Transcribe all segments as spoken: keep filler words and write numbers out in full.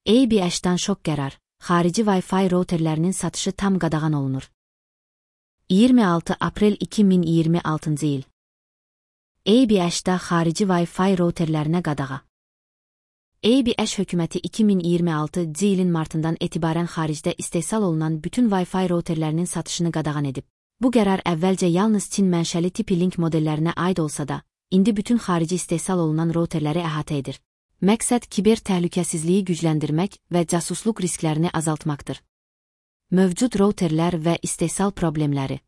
A B H-dan şok qərar, xarici Wi-Fi routerlərinin satışı tam qadağan olunur. iyirmi altı aprel iki min iyirmi altıncı il. A B H-da xarici Wi-Fi routerlərinə qadağa. A B H hökuməti iki min iyirmi altıncı ilin martından etibarən xaricdə istehsal olunan bütün Wi-Fi routerlərinin satışını qadağan edib. Bu qərar əvvəlcə yalnız Çin mənşəli TP-Link modellərinə aid olsa da, indi bütün xarici istehsal olunan routerləri əhatə edir. Məqsəd kiber təhlükəsizliyi gücləndirmək və casusluq risklərini azaltmaqdır. Mövcud routerlər və istehsal problemləri.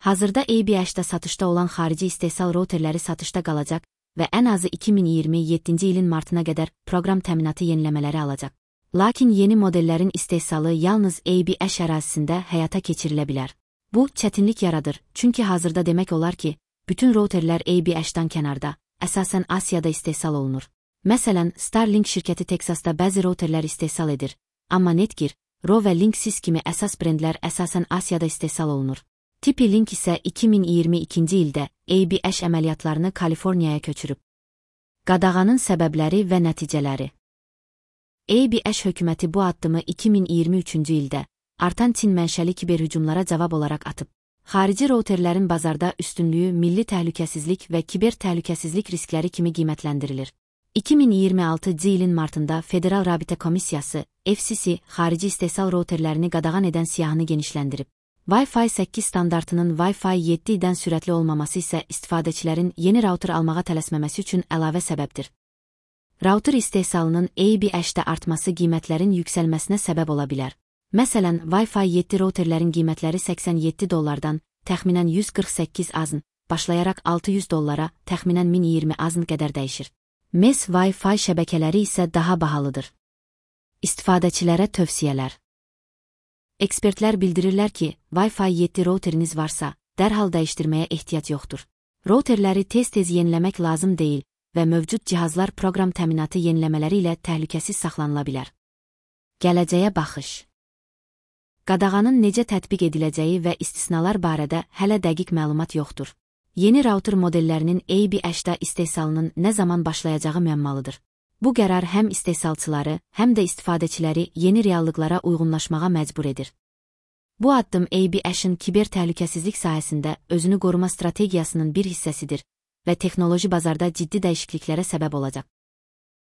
Hazırda A B H-da satışda olan xarici istehsal routerləri satışda qalacaq və ən azı iki min iyirmi yeddinci ilin martına qədər proqram təminatı yeniləmələri alacaq. Lakin yeni modellərin istehsalı yalnız A B H ərazisində həyata keçirilə bilər. Bu, çətinlik yaradır, çünki hazırda demək olar ki, bütün routerlər A B H-dan kənarda, əsasən Asiyada istehsal olunur. Məsələn, Starlink şirkəti Teksasda bəzi routerlər istehsal edir, amma Netgear, Ro və Linksys kimi əsas brendlər əsasən Asiyada istehsal olunur. TP-Link isə iki min iyirmi ikinci ildə A B H əməliyyatlarını Kaliforniyaya köçürüb. Qadağanın səbəbləri və nəticələri. A B H hökuməti bu addımı iki min iyirmi üçüncü ildə artan Çin mənşəli kiberhücumlara cavab olaraq atıb. Xarici routerlərin bazarda üstünlüyü milli təhlükəsizlik və kiber təhlükəsizlik riskləri kimi qiymətləndirilir. iki min iyirmi altıncı ilin martında Federal Rabitə Komissiyası, F C C, xarici istehsal routerlərini qadağan edən siyahını genişləndirib. Wi-Fi səkkiz standartının Wi-Fi yeddidən sürətli olmaması isə istifadəçilərin yeni router almağa tələsməməsi üçün əlavə səbəbdir. Router istehsalının A B H-də artması qiymətlərin yüksəlməsinə səbəb ola bilər. Məsələn, Wi-Fi yeddi routerlərin qiymətləri səksən yeddi dollardan təxminən yüz qırx səkkiz azn, başlayaraq altı yüz dollara təxminən min iyirmi azn qədər dəyişir. M E S Wi-Fi şəbəkələri isə daha bahalıdır. İstifadəçilərə tövsiyələr. Ekspertlər bildirirlər ki, Wi-Fi yeddi routeriniz varsa, dərhal dəyişdirməyə ehtiyac yoxdur. Routerləri tez-tez yeniləmək lazım deyil və mövcud cihazlar proqram təminatı yeniləmələri ilə təhlükəsiz saxlanıla bilər. Gələcəyə baxış. Qadağanın necə tətbiq ediləcəyi və istisnalar barədə hələ dəqiq məlumat yoxdur. Yeni router modellərinin A B H-da istehsalının nə zaman başlayacağı müəmmalıdır. Bu qərar həm istehsalçıları, həm də istifadəçiləri yeni reallıqlara uyğunlaşmağa məcbur edir. Bu addım A B H-ın kiber təhlükəsizlik sahəsində özünü qoruma strategiyasının bir hissəsidir və texnoloji bazarda ciddi dəyişikliklərə səbəb olacaq.